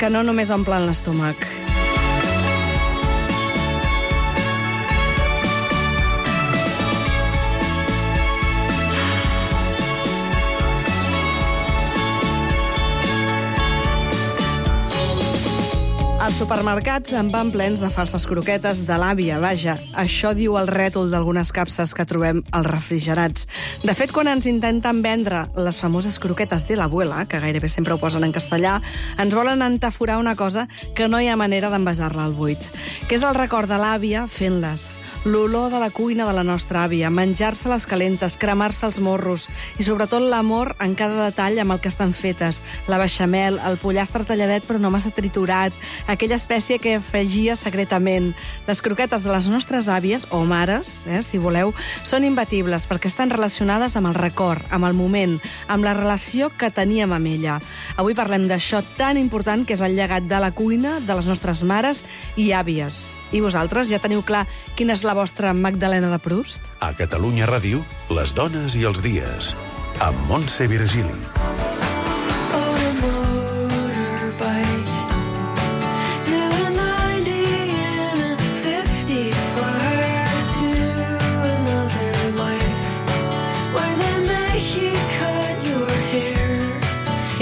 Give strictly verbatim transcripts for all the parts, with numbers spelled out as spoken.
que no només omplen l'estómac. Els supermercats en van plens de falses croquetes de l'àvia, vaja. Això diu el rètol d'algunes capses que trobem als refrigerats. De fet, quan ens intenten vendre les famoses croquetes de l'abuela, que gairebé sempre ho posen en castellà, ens volen entaforar una cosa que no hi ha manera d'envasar-la al buit, que és el record de l'àvia fent-les, l'olor de la cuina de la nostra àvia, menjar-se les calentes, cremar-se els morros i, sobretot, l'amor en cada detall amb el que estan fetes, la beixamel, el pollastre talladet però no massa triturat, aquella espècie que afegia secretament. Les croquetes de les nostres àvies, o mares, eh, si voleu, són imbatibles perquè estan relacionades amb el record, amb el moment, amb la relació que teníem amb ella. Avui parlem d'això tan important que és el llegat de la cuina de les nostres mares i àvies. I vosaltres ja teniu clar quina és la vostra Magdalena de Proust? A Catalunya Ràdio, les dones i els dies, amb Montse Virgili.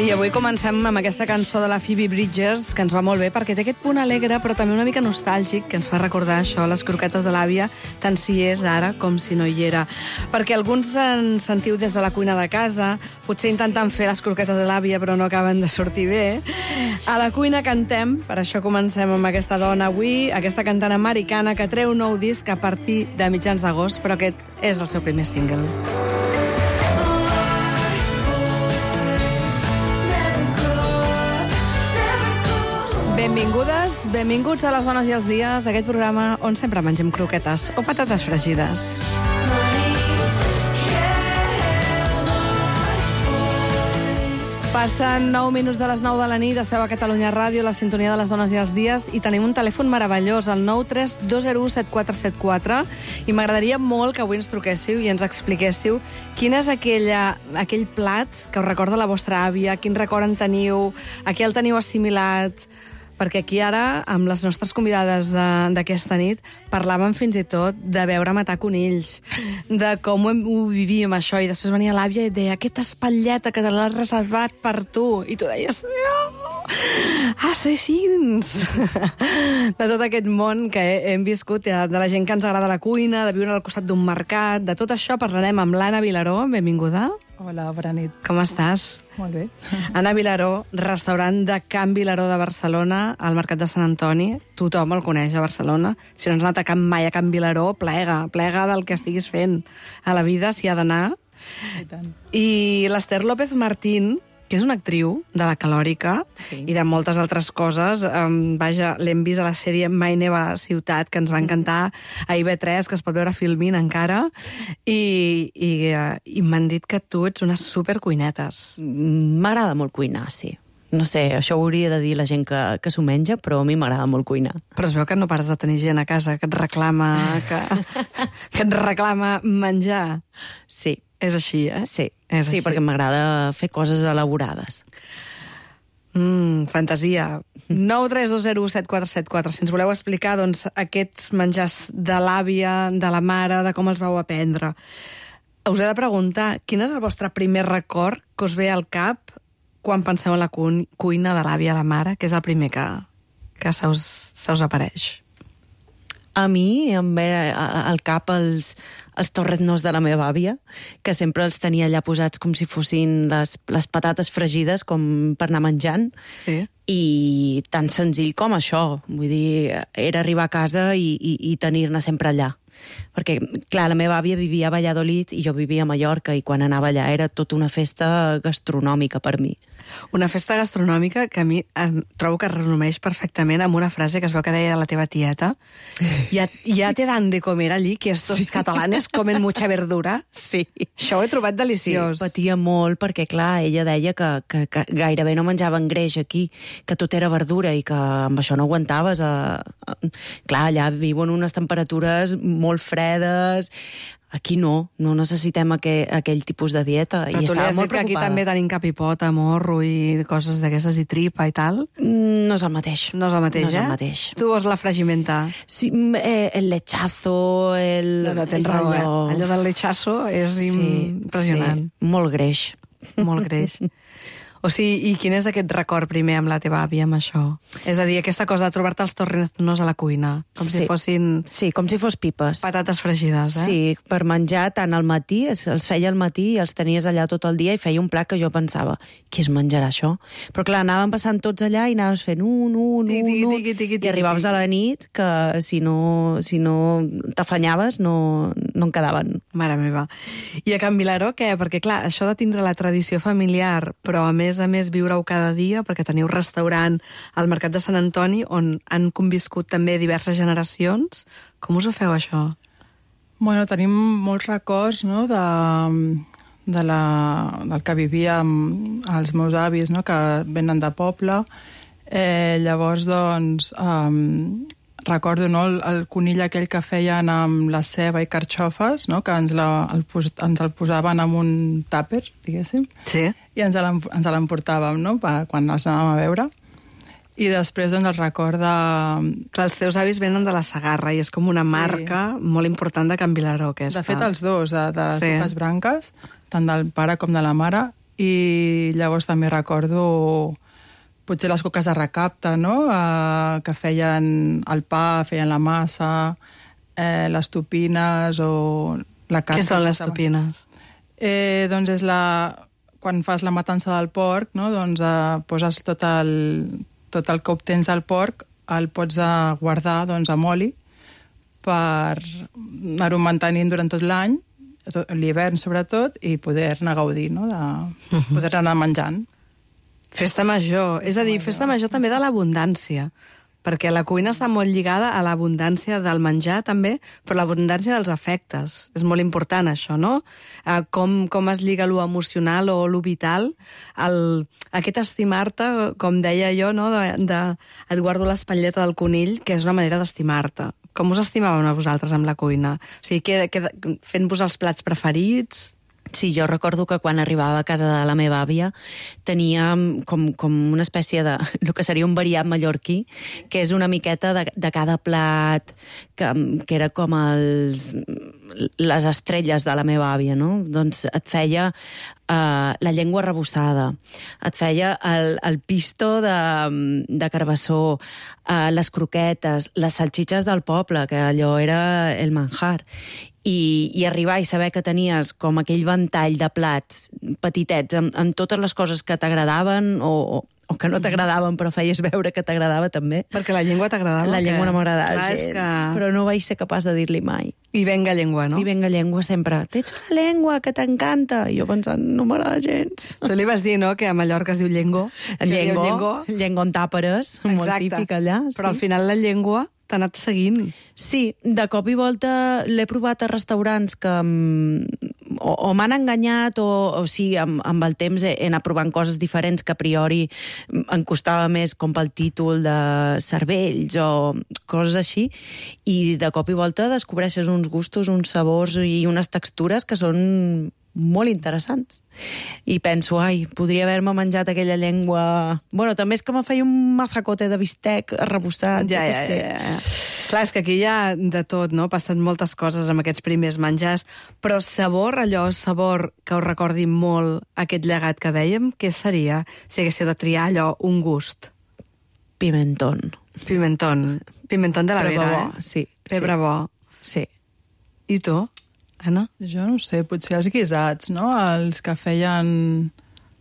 I avui comencem amb aquesta cançó de la Phoebe Bridgers, que ens va molt bé, perquè té aquest punt alegre, però també una mica nostàlgic, que ens fa recordar això, les croquetes de l'àvia, tant si és ara com si no hi era. Perquè alguns ens sentiu des de la cuina de casa, potser intentant fer les croquetes de l'àvia, però no acaben de sortir bé. A la cuina cantem, per això comencem amb aquesta dona avui, aquesta cantant americana que treu nou disc a partir de mitjans d'agost, però aquest és el seu primer single. Benvingudes, benvinguts a les dones i els dies, aquest programa on sempre mengem croquetes o patates fregides. Passen nou minuts de les nou de la nit, esteu a Catalunya Ràdio, la sintonia de les dones i els dies, i tenim un telèfon meravellós, el nou tres dos zero u set quatre set quatre, i m'agradaria molt que avui ens truquéssiu i ens expliquéssiu quin és aquella, aquell plat que us recorda la vostra àvia, quin record en teniu, a què el teniu assimilat, perquè aquí ara, amb les nostres convidades d'aquesta nit, parlàvem fins i tot de veure matar conills, de com ho, ho vivíem això, i després venia l'àvia i deia, aquesta espatlleta que te l'has reservat per tu, i tu deies, no, assassins! De tot aquest món que hem viscut, de la gent que ens agrada la cuina, de viure al costat d'un mercat, de tot això parlarem amb l'Anna Vilaró, benvinguda. Hola, bona nit. Com estàs? Molt bé. Anna Vilaró, restaurant de Can Vilaró de Barcelona, al Mercat de Sant Antoni. Tothom el coneix a Barcelona. Si no has anat a Can mai a Can Vilaró, plega, plega del que estiguis fent a la vida, s'hi ha d'anar. I tant. I l'Ester López Martín, que és una actriu de la Calòrica, sí, i de moltes altres coses. Um, vaja, l'hem vist a la sèrie Mai neva a Ciutat, que ens va encantar, a I V tres, que es pot veure a Filmin encara, i, i, uh, i m'han dit que tu ets unes supercuinetes. M'agrada molt cuinar, sí. No sé, això ho hauria de dir la gent que, que s'ho menja, però a mi m'agrada molt cuinar. Però es veu que no pares de tenir gent a casa que et reclama, que, que et reclama menjar. Sí. És així, eh? Sí, és sí, així. perquè m'agrada fer coses elaborades. Mm, fantasia. nou tres dos zero u set quatre set quatre. Si ens voleu explicar, doncs, aquests menjars de l'àvia, de la mare, de com els vau aprendre. Us he de preguntar, quin és el vostre primer record que us ve al cap quan penseu en la cu cuina de l'àvia, la mare, que és el primer que, que se us, se us apareix? A mi em ve al cap els, els torretnos de la meva àvia, que sempre els tenia allà posats com si fossin les, les patates fregides, com per anar menjant. Sí. I tan senzill com això. Vull dir, era arribar a casa i, i, i tenir-ne sempre allà. Perquè, clar, la meva àvia vivia a Valladolid i jo vivia a Mallorca, i quan anava allà era tota una festa gastronòmica per mi. Una festa gastronòmica que a mi em trobo que resumeix perfectament amb una frase que es veu que deia la teva tieta. Ja, ja te dan de comer allí, que estos sí. catalanes comen mucha verdura. Sí. Això ho he trobat deliciós. Sí, patia molt perquè, clar, ella deia que, que, que gairebé no menjaven greix aquí, que tot era verdura i que amb això no aguantaves. A, a... Clar, allà viuen unes temperatures molt fredes, Aquí no, no necessitem aquell, aquell tipus de dieta. Però i tu li estava has molt dit que aquí preocupada. també tenim capipota, morro i coses d'aquestes, i tripa i tal? Mm, No és el mateix. No és el mateix, no és eh? el mateix. Tu vols la fragimenta? Sí, mm, eh, el lechazo, el... No, no, tens és raó, eh? allò... Allò del lechazo és impressionant. Sí, molt greix. Molt greix. O sigui, i quin és aquest record primer amb la teva àvia, amb això? És a dir, aquesta cosa de trobar-te els torreznos a la cuina, com Sí. si fossin Sí, com si fos pipes. patates fregides, eh? Sí, per menjar tant al matí, es- els feia al matí i els tenies allà tot el dia i feia un plat que jo pensava, qui es menjarà això? Però clar, anàvem passant tots allà i anaves fent un, un, Tiqui, un, tiqui, un, tiqui, tiqui, i arribaves a la nit que si no, si no t'afanyaves no, no en quedaven. Mare meva. I a Can Vilaró, què? Perquè, clar, això de tindre la tradició familiar, però a més a més viure-ho cada dia, perquè teniu restaurant al Mercat de Sant Antoni, on han conviscut també diverses generacions. Com us ho feu, això? Bueno, tenim molts records, no?, de, de la, del que vivíem els meus avis, no?, que venen de poble. Eh, llavors, doncs, um, recordo, no?, el, el conill aquell que feien amb la ceba i carxofes, no?, que ens, la, el, pos- ens el posaven en un tàper, diguéssim, Sí. i ens l'em- ens l'emportàvem, no?, per, quan els anàvem a veure. I després, doncs, el record de... Clar, els teus avis venen de la Segarra i és com una Sí. marca molt important de Can Vilaró, aquesta. De fet, els dos, de, de les Sí. dues branques, tant del pare com de la mare, i llavors també recordo potser les coques de recapte, no?, eh, que feien el pa, feien la massa, eh, les topines o la carn. Què són les que- topines? Eh, doncs és la... Quan fas la matança del porc, no?, doncs eh, poses tot el, tot el que obtens del porc, el pots eh, guardar doncs, amb oli per anar-ho mantenint durant tot l'any, tot- l'hivern sobretot, i poder-ne gaudir, no?, de poder anar menjant. Festa major. És a dir, festa major també de l'abundància. Perquè la cuina està molt lligada a l'abundància del menjar, també, però l'abundància dels afectes. És molt important, això, no? Eh, com, com es lliga lo emocional o lo vital. El, aquest estimar-te, com deia jo, no? de, de, et guardo l'espatlleta del conill, que és una manera d'estimar-te. Com us estimàveu a vosaltres amb la cuina? O sigui, que, que, fent-vos els plats preferits... Sí, jo recordo que quan arribava a casa de la meva àvia tenia com, com una espècie de... el que seria un variat mallorquí, que és una miqueta de, de cada plat, que, que era com els, les estrelles de la meva àvia, no? Doncs et feia uh, la llengua rebossada, et feia el, el pisto de, de carbassó, uh, les croquetes, les salxitxes del poble, que allò era el manjar. I, i arribar i saber que tenies com aquell ventall de plats petitets amb, amb totes les coses que t'agradaven o, o, o que no t'agradaven però feies veure que t'agradava també. Perquè la llengua t'agradava? La llengua no m'agradava Clar, és gens, que... però no vaig ser capaç de dir-li mai. I venga llengua, no? I venga llengua sempre. T'ets una llengua que t'encanta. I jo pensant, no m'agrada gens. Tu li vas dir, no?, que a Mallorca es diu llengó. El que diu llengó, llengó en tàperes, molt típic allà. Però al final la llengua t'ha anat seguint. Sí, de cop i volta l'he provat a restaurants que mm, o, o m'han enganyat o, o sí, amb, amb el temps he, he anat provant coses diferents que a priori em costava més, com pel títol de cervells o coses així, i de cop i volta descobreixes uns gustos, uns sabors i unes textures que són molt interessants. I penso, ai, podria haver-me menjat aquella llengua... Bueno, també és que me feia un mazacote de bistec arrebossat. Ja, jo què ja, sé. ja, ja. Clar, és que aquí hi ha de tot, no? Passen moltes coses amb aquests primers menjars, però sabor, allò, sabor que us recordi molt aquest llegat que dèiem, què seria si haguéssiu de triar allò, un gust? Pimentón. Pimentón. Pimentón de la Però vera, bo, eh? sí. Pebre sí. bo. Sí. I tu, Anna? Jo no ho sé, potser els guisats, no?, els que feien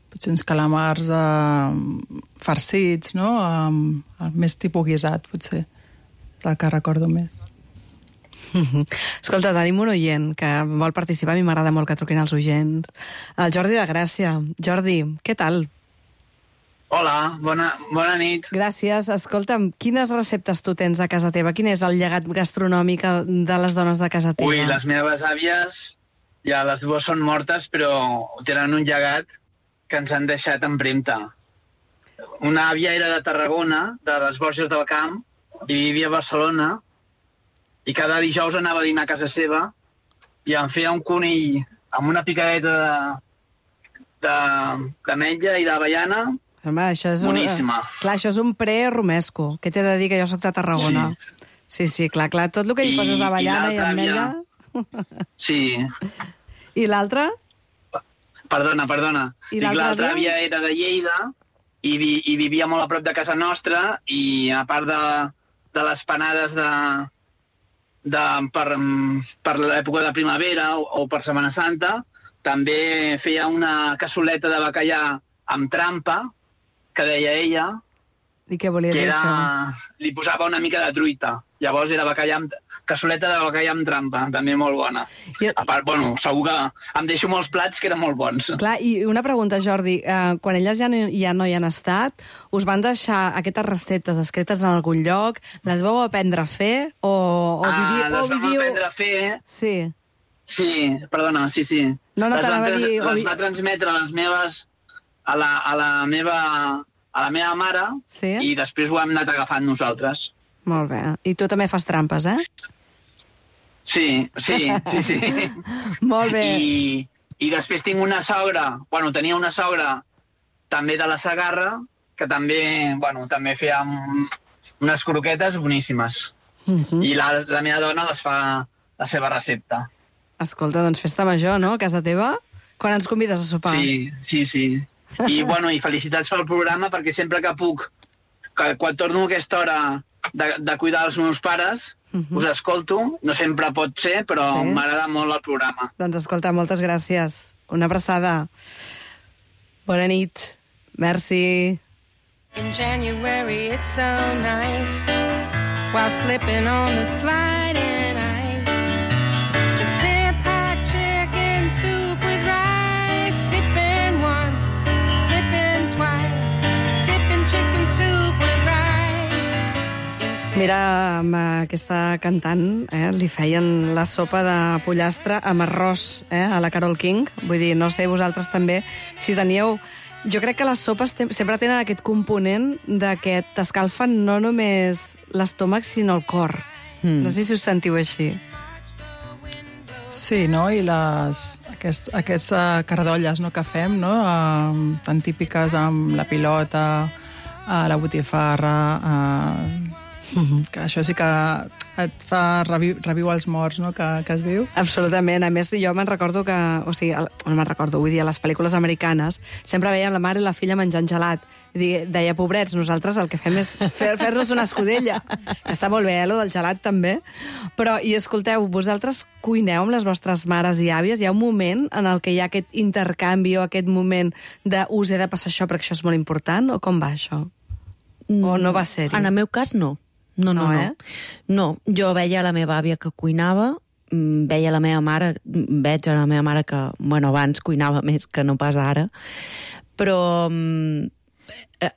potser uns calamars eh, farcits, no?, eh, més tipus guisat, potser, el que recordo més. Escolta, tenim un oient que vol participar, a mi m'agrada molt que truquin els oients. El Jordi de Gràcia. Jordi, què tal? Hola, bona, bona nit. Gràcies. Escolta'm, quines receptes tu tens a casa teva? Quin és el llegat gastronòmic de les dones de casa teva? Ui, les meves àvies, ja les dues són mortes, però tenen un llegat que ens han deixat empremta. Una àvia era de Tarragona, de les Borges del Camp, i vivia a Barcelona, i cada dijous anava a dinar a casa seva, i em feia un conill amb una picadeta de, de, d'ametlla i d'avellana. Home, això és boníssima. Un, clar, això és un pre-romesco. Què t'he de dir, que jo soc de Tarragona? Sí, sí, sí, clar, clar. Tot el que hi poses avellana i, i ametlla... Sí. I l'altre? Perdona, perdona. I l'altra àvia era de Lleida i, vi, i vivia molt a prop de casa nostra i a part de, de les panades de, de, per, per l'època de primavera o, o per Setmana Santa, també feia una cassoleta de bacallà amb trampa, que deia ella. I què volia dir era, això? Li posava una mica de truita. Llavors era bacallà amb, cassoleta de bacallà amb trampa, també molt bona. I... A part, bueno, segur que em deixo molts plats que eren molt bons. Clar, i una pregunta, Jordi. Eh, quan elles ja no, ja no hi han estat, us van deixar aquestes receptes escrites en algun lloc? Les vau aprendre a fer? O, o ah, viviu, les o vam viviu... aprendre a fer. Sí. Sí, perdona, sí, sí. No, no les t'anava a dir... Les va transmetre a les meves... a la, a la meva... a la meva mare, sí? I després ho hem anat agafant nosaltres. Molt bé. I tu també fas trampes, eh? Sí, sí, sí, sí. Molt bé. I, I després tinc una sogra, bueno, tenia una sogra també de la Segarra, que també, bueno, també feia unes croquetes boníssimes. Uh -huh. I la, la meva dona les fa la seva recepta. Escolta, doncs festa major, no?, a casa teva? Quan ens convides a sopar? Sí, sí, sí. I, bueno, i felicitats pel programa, perquè sempre que puc, que, quan torno a aquesta hora de, de cuidar els meus pares, uh -huh. us escolto. No sempre pot ser, però sí? M'agrada molt el programa. Doncs escolta, moltes gràcies. Una abraçada. Bona nit. Merci. In January it's so nice, while slipping on the sliding ice, to sip hot chicken soup with rice, sipping once, sipping twice, sipping chicken soup with rice. Mira, amb aquesta cantant eh, li feien la sopa de pollastre amb arròs eh, a la Carole King. Vull dir, no sé vosaltres també si teníeu... Jo crec que les sopes sempre tenen aquest component de que t'escalfen no només l'estómac, sinó el cor. Mm. No sé si us sentiu així. Sí, no? I les, aquests, aquests uh, cardolles no, que fem, no? Uh, tan típiques amb la pilota, uh, la botifarra... Uh, mm-hmm. Que això sí que et fa reviu, reviu els morts, no?, que, que es diu. Absolutament. A més, jo me'n recordo que... O sigui, no me'n recordo, vull dir, a les pel·lícules americanes sempre veien la mare i la filla menjant gelat. I deia, pobrets, nosaltres el que fem és fer, fer-nos una escudella. Està molt bé, eh, lo del gelat, també. Però, i escolteu, vosaltres cuineu amb les vostres mares i àvies? Hi ha un moment en el que hi ha aquest intercanvi o aquest moment de us he de passar això perquè això és molt important? O com va, això? O no va ser-hi? En el meu cas, no. No, no, no, no. Eh? No, jo veia la meva àvia que cuinava, veia la meva mare, veig a la meva mare que, bueno, abans cuinava més que no pas ara, però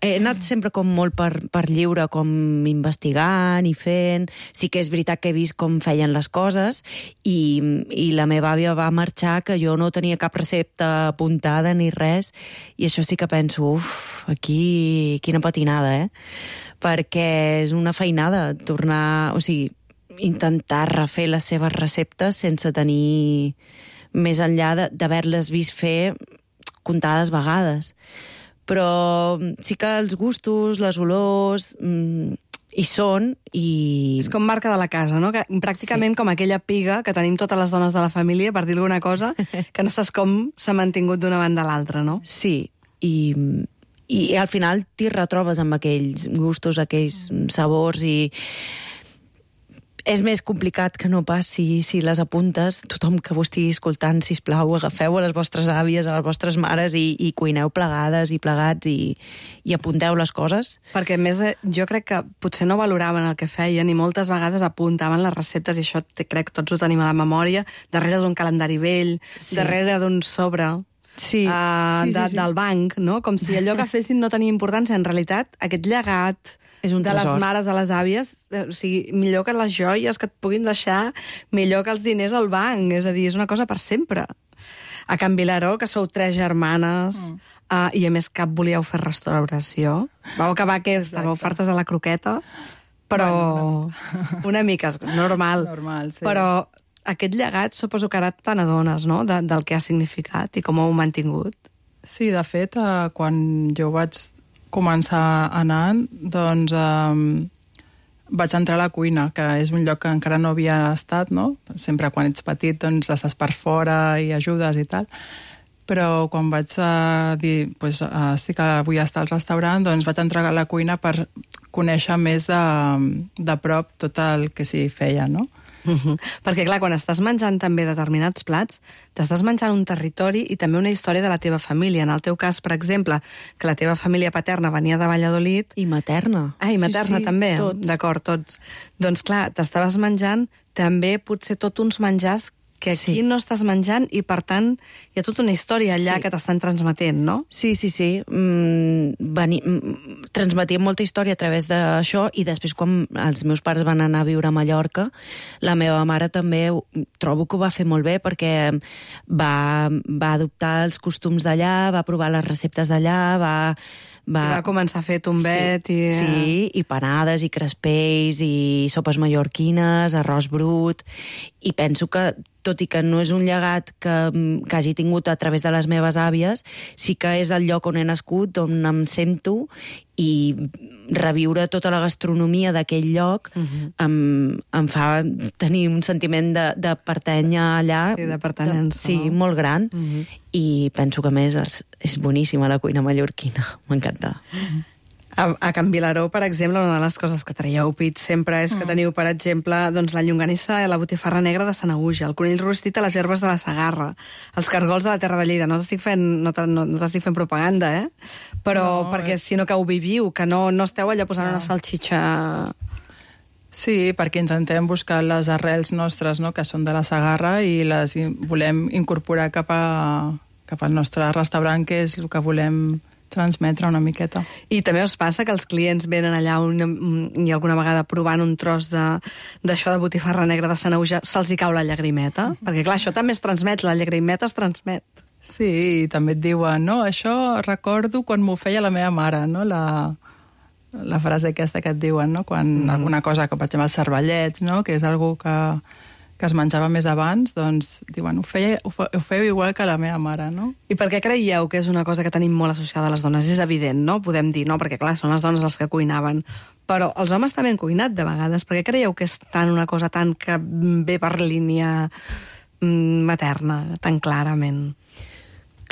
he anat sempre com molt per, per lliure, com investigant i fent. Sí que és veritat que he vist com feien les coses i, i la meva àvia va marxar que jo no tenia cap recepta apuntada ni res, i això sí que penso, uf, aquí quina patinada, eh? Perquè és una feinada tornar, o sigui, intentar refer les seves receptes sense tenir més enllà d'haver-les vist fer comptades vegades. Però sí que els gustos, les olors, mm, hi són i... És com marca de la casa, no? Que pràcticament sí. Com aquella piga que tenim totes les dones de la família, per dir alguna cosa, que no saps com s'ha mantingut d'una banda a l'altra, no? Sí, i... I al final t'hi retrobes amb aquells gustos, aquells sabors, i és més complicat que no pas si, si les apuntes. Tothom que ho estigui escoltant, sisplau, agafeu a les vostres àvies, a les vostres mares i, i cuineu plegades i plegats i, i apunteu les coses. Perquè, a més, jo crec que potser no valoraven el que feien i moltes vegades apuntaven les receptes, i això crec que tots ho tenim a la memòria, darrere d'un calendari vell, sí. Darrere d'un sobre... Sí. Uh, sí, sí, de, sí. del banc, no? Com si allò que fessin no tenia importància. En realitat, aquest llegat és un de tresor. Les mares a les àvies, o sigui, millor que les joies que et puguin deixar, millor que els diners al banc. És a dir, és una cosa per sempre. A Can Vilaró, que sou tres germanes, mm. uh, i a més cap volíeu fer restauració. Vau acabar que estàveu fartes de la croqueta, però bueno, una mica, és normal. Normal, sí. Però aquest llegat suposo que ara te n'adones, no?, de, del que ha significat i com ho heu mantingut. Sí, de fet, eh, quan jo vaig començar anant, doncs eh, vaig entrar a la cuina, que és un lloc que encara no havia estat, no? Sempre quan ets petit, doncs estàs per fora i ajudes i tal. Però quan vaig uh, dir, pues, uh, sí que vull estar al restaurant, doncs vaig entrar a la cuina per conèixer més de, de prop tot el que s'hi feia, no? Uh-huh. Perquè, clar, quan estàs menjant també determinats plats, t'estàs menjant un territori i també una història de la teva família. En el teu cas, per exemple, que la teva família paterna venia de Valladolid... I materna. Ah, i materna sí, sí, també. Tots. D'acord, tots. Doncs, clar, t'estaves menjant també potser tot uns menjars que aquí sí. no estàs menjant i, per tant, hi ha tota una història allà sí. que t'estan transmetent, no? Sí, sí, sí. Mm, veni, mm, transmetíem molta història a través d'això i després, quan els meus pares van anar a viure a Mallorca, la meva mare també trobo que ho va fer molt bé perquè va, va adoptar els costums d'allà, va provar les receptes d'allà, va... Va... va començar a fer tombet sí, i... Sí, i panades, i crespells, i sopes mallorquines, arròs brut... I penso que, tot i que no és un llegat que, que hagi tingut a través de les meves àvies, sí que és el lloc on he nascut, on em sento, i reviure tota la gastronomia d'aquell lloc uh-huh. em, em fa tenir un sentiment de, de pertànyer allà. Sí, de pertanyença. Sí, no? molt gran. Uh-huh. I penso que, a més, és, és boníssima la cuina mallorquina. M'encanta. Uh-huh. A, a Can Vilaró, per exemple, una de les coses que traieu pit sempre és que teniu, per exemple, doncs, la llonganissa i la botifarra negra de Sanaüja, el conill rostit a les herbes de la Segarra, els cargols de la Terra de Lleida. No t'estic fent, no no, no t'estic fent propaganda, eh? Però no, perquè, eh... sinó que ho viviu, que no, no esteu allà posant no. una salxitxa... Sí, perquè intentem buscar les arrels nostres, no?, que són de la Segarra, i les volem incorporar cap, a, cap al nostre restaurant, que és el que volem transmetre una miqueta. I també us passa que els clients venen allà una, i alguna vegada provant un tros d'això de, de botifarra negra de Sanaüja, se'ls hi cau la llagrimeta? Mm-hmm. Perquè, clar, això també es transmet, la llagrimeta es transmet. Sí, i també et diuen, no, això recordo quan m'ho feia la meva mare, no?, la, la frase aquesta que et diuen, no?, quan mm. alguna cosa, que per exemple els cervellets, no?, que és algo que... que es menjava més abans, doncs diuen, ho, feia, ho, fe, ho feu igual que la meva mare, no? I per què creieu que és una cosa que tenim molt associada a les dones? És evident, no? Podem dir, no? Perquè, clar, són les dones les que cuinaven. Però els homes també han cuinat, de vegades. Per què creieu que és tan una cosa tan que ve per línia materna, tan clarament?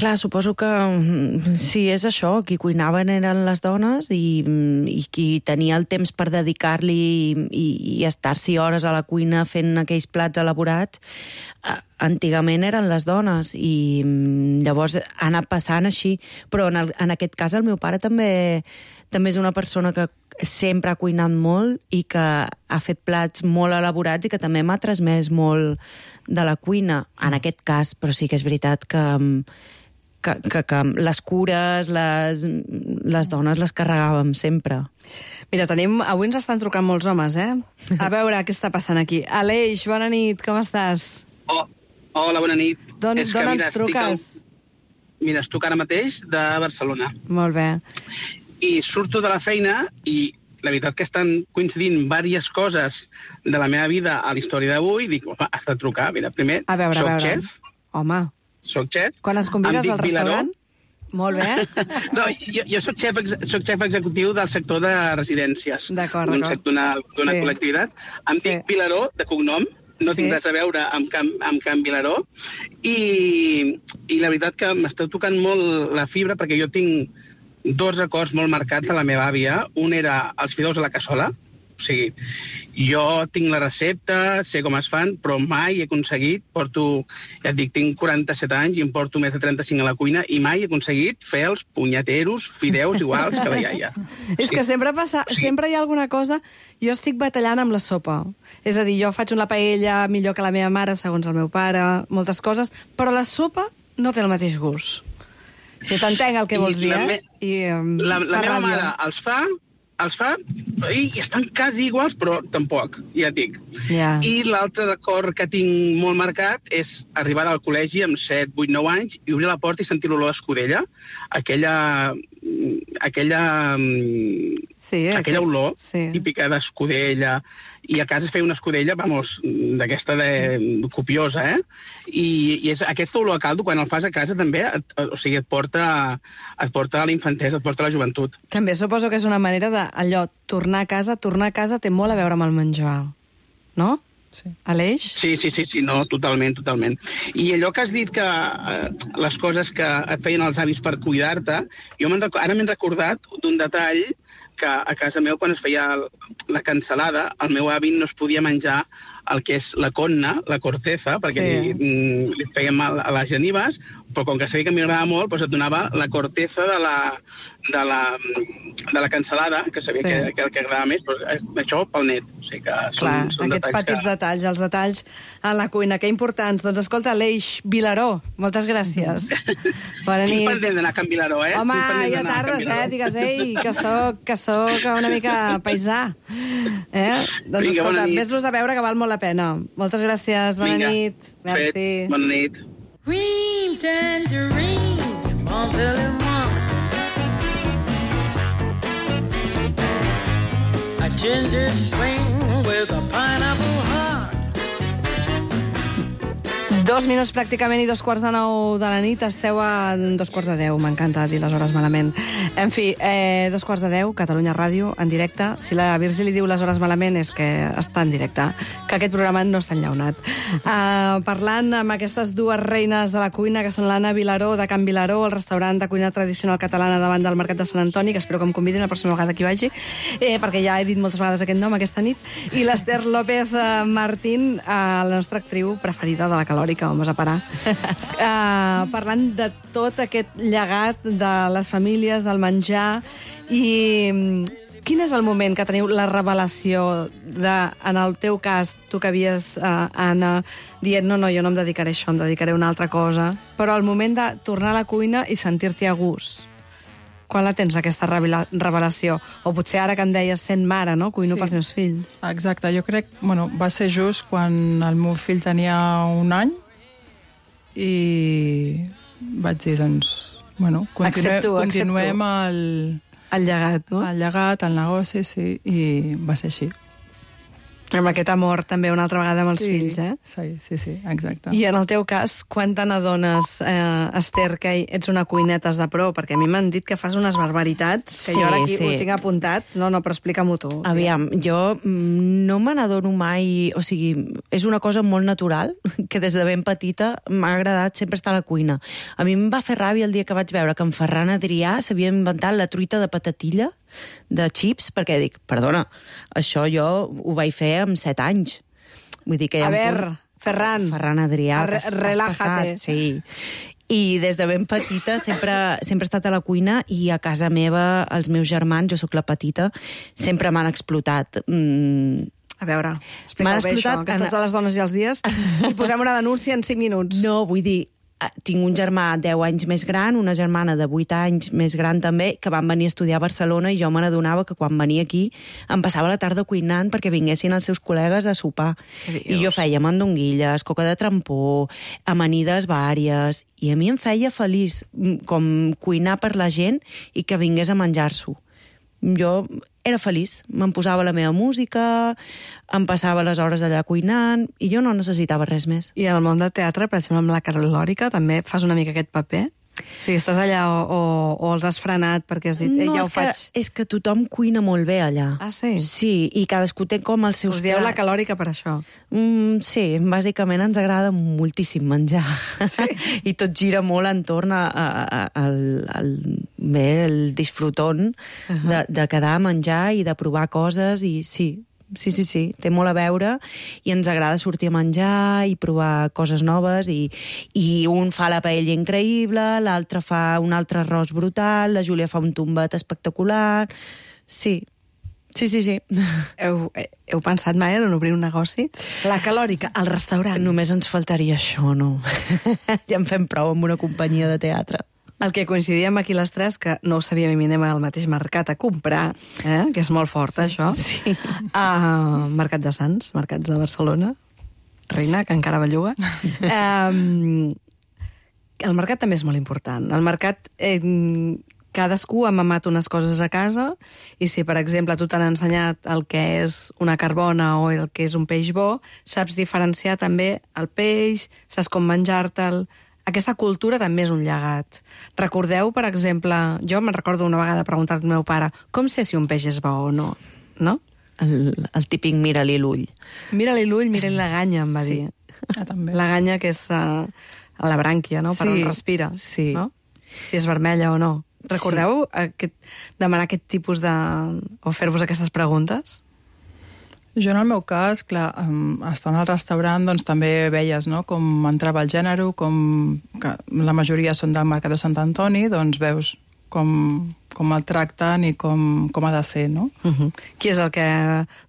Clar, suposo que sí, és això, qui cuinaven eren les dones i, i qui tenia el temps per dedicar-li i, i, i estar-s'hi hores a la cuina fent aquells plats elaborats, antigament eren les dones i llavors ha anat passant així. Però en, el, en aquest cas el meu pare també, també és una persona que sempre ha cuinat molt i que ha fet plats molt elaborats i que també m'ha transmès molt de la cuina, en aquest cas, però sí que és veritat que... Que, que, que les cures, les, les dones les carregàvem sempre. Mira, tenim... Avui ens estan trucant molts homes, eh? A veure què està passant aquí. Aleix, bona nit, com estàs? Oh, hola, bona nit. D'on ens truques? Al... Mira, estic ara mateix de Barcelona. Molt bé. I surto de la feina i la veritat que estan coincidint diverses coses de la meva vida a la història d'avui. Dic, home, has de trucar. Mira, primer, a veure, soc a veure. xef. Home... Soc xef. Quan ens convides al restaurant? Vilaró. Molt bé. No, jo, jo soc, xef, soc xef executiu del sector de residències. D'acord, d'acord. D'una sí. col·lectivitat. Em sí. dic Vilaró, de cognom, no sí. tinc res a veure amb Can, amb Can Vilaró, i, i la veritat que m'esteu tocant molt la fibra perquè jo tinc dos records molt marcats de la meva àvia. Un era els fideus a la cassola, o sigui, jo tinc la recepta, sé com es fan, però mai he aconseguit, porto, ja et dic, tinc quaranta-set anys i em porto més de trenta-cinc a la cuina i mai he aconseguit fer els punyeteros fideus iguals que la iaia. És que sempre passa, sempre hi ha alguna cosa... Jo estic batallant amb la sopa. És a dir, jo faig una paella millor que la meva mare, segons el meu pare, moltes coses, però la sopa no té el mateix gust. Si t'entenc el que vols dir, eh? I, um, la la meva mare els fa... els fa i estan quasi iguals, però tampoc, ja et dic. Yeah. I l'altre record que tinc molt marcat és arribar al col·legi amb set, vuit, nou anys i obrir la porta i sentir l'olor d'escudella, aquella aquella sí, aquella olor sí. típica d'escudella i a casa es feia una escudella, vamos, d'aquesta de... copiosa, eh? I, i és, aquesta olor a caldo, quan el fas a casa, també, et, o sigui, et porta, et porta a la infantesa, et porta a la joventut. També suposo que és una manera de, allò, tornar a casa, tornar a casa té molt a veure amb el menjar, no? Sí. Aleix? Sí, sí, sí, sí, no, totalment, totalment. I allò que has dit que eh, les coses que et feien els avis per cuidar-te, jo rec... ara m'he recordat d'un detall que a casa meu, quan es feia la cansalada, el meu avi no es podia menjar el que és la conna, la corteza, perquè sí. li, li feien mal a les genives, però com que sabia que m'agradava molt, doncs et donava la corteza de la, de la, de la cansalada, que sabia sí. que, que el que agradava més, però això pel net. O sigui que són, Clar, són aquests petits que... detalls, els detalls a la cuina, que importants. Doncs escolta, Aleix Vilaró, moltes gràcies. Bona nit. Estic pendent d'anar a Can Vilaró, eh? Home, ja tardes, eh? Digues, ei, que soc, que soc una mica paisà. Eh? Doncs Vinga, escolta, ves-los a veure, que val molt la pena. Moltes gràcies, bona Vinga, nit. Merci. Fet, bona nit. Green tangerine, Montezuma. A ginger swing with a pineapple heart. Dos minuts pràcticament i dos quarts de nou de la nit. Esteu a dos quarts de deu. M'encanta dir les hores malament. En fi, eh, dos quarts de deu, Catalunya Ràdio, en directe. Si la Virgi li diu les hores malament és que està en directe, que aquest programa no està enllaunat. Uh, parlant amb aquestes dues reines de la cuina, que són l'Anna Vilaró, de Can Vilaró, el restaurant de cuina tradicional catalana davant del Mercat de Sant Antoni, que espero que em convidin la pròxima vegada que hi vagi, eh, perquè ja he dit moltes vegades aquest nom aquesta nit, i l'Ester López uh, Martín, uh, la nostra actriu preferida de la Calòrica, vamos a parar. Uh, parlant de tot aquest llegat de les famílies, del menjar, i quin és el moment que teniu la revelació de, en el teu cas, tu que havies, uh, Anna, dient no, no, jo no em dedicaré a això, em dedicaré a una altra cosa, però el moment de tornar a la cuina i sentir-t'hi a gust, quan la tens, aquesta revelació? O potser ara que em deies sent mare, no? Cuino sí. pels meus fills. Exacte, jo crec, bueno, va ser just quan el meu fill tenia un any i vaig dir, doncs, bueno, continue, accepto, continuem accepto. el, el llegat, no? el llegat, el negoci, sí, i va ser així. Amb aquest amor també una altra vegada amb els sí, fills, eh? Sí, sí, sí, exacte. I en el teu cas, quan te n'adones, eh, Esther, que ets una cuinetes de pro? Perquè a mi m'han dit que fas unes barbaritats, que sí, jo ara aquí sí. ho tinc apuntat. No, no, però explica-m'ho tu. Aviam, jo no me n'adono mai... O sigui, és una cosa molt natural, que des de ben petita m'ha agradat sempre estar a la cuina. A mi em va fer ràbia el dia que vaig veure que en Ferran Adrià s'havia inventat la truita de patatilla de xips, perquè dic, perdona, això jo ho vaig fer amb set anys. Vull dir que hi ha a veure, punt... Ferran. Ferran Adrià. Re relájate. Sí. I des de ben petita sempre, sempre he estat a la cuina i a casa meva, els meus germans, jo sóc la petita, sempre m'han explotat. Mm, A veure, explica-ho bé això, que estàs de les dones i els dies, i posem una denúncia en cinc minuts. No, vull dir, tinc un germà deu anys més gran, una germana de vuit anys més gran també, que van venir a estudiar a Barcelona i jo me n'adonava que quan venia aquí em passava la tarda cuinant perquè vinguessin els seus col·legues a sopar. I jo feia mandonguilles, coca de trampó, amanides vàries, i a mi em feia feliç com cuinar per la gent i que vingués a menjar-s'ho. Jo era feliç, me'n posava la meva música, em passava les hores allà cuinant, i jo no necessitava res més. I en el món del teatre, per exemple, amb la Calòrica, també fas una mica aquest paper? O sigui, estàs allà o, o, o els has frenat perquè has dit, eh, no, ja ho és faig? Que, és que tothom cuina molt bé allà. Ah, sí? Sí, i cadascú té com els seus Us dieu plats. la Calòrica per això? Mm, sí, bàsicament ens agrada moltíssim menjar. Sí? I tot gira molt entorn a, a, a, al, al, bé, el disfrutón uh -huh. de, de quedar a menjar i de provar coses, i sí, Sí, sí, sí, té molt a veure i ens agrada sortir a menjar i provar coses noves i, i un fa la paella increïble, l'altre fa un altre arròs brutal, la Júlia fa un tombet espectacular... Sí, sí, sí, sí. Heu, heu pensat mai en obrir un negoci? La Calòrica, al restaurant. Només ens faltaria això, no? Ja en fem prou amb una companyia de teatre. El que coincidíem aquí les tres, que no ho sabíem i anem al mateix mercat a comprar, eh? Que és molt fort, sí, això. Sí. Uh, Mercat de Sants, Mercats de Barcelona, Reina, que encara belluga. Um, el mercat també és molt important. El mercat, eh, cadascú ha mamat unes coses a casa i si, per exemple, tu t'han ensenyat el que és una carbona o el que és un peix bo, saps diferenciar també el peix, saps com menjar-te'l. Aquesta cultura també és un llegat. Recordeu, per exemple, jo me'n recordo una vegada preguntar al meu pare com sé si un peix és bo o no, no? El, el típic mira-li l'ull. Mira-li l'ull, mira-li la ganya, em va Sí. dir. Ah, també. La ganya que és uh, a la brànquia, no? Per Sí, on respira, sí. no? Si és vermella o no. Recordeu aquest, demanar aquest tipus de... o fer-vos aquestes preguntes? Jo, en el meu cas, clar, um, estant al restaurant, doncs també veies, no?, com entrava el gènere, com que la majoria són del Mercat de Sant Antoni, doncs veus com, com el tracten i com, com ha de ser, no? Uh-huh. Qui és el que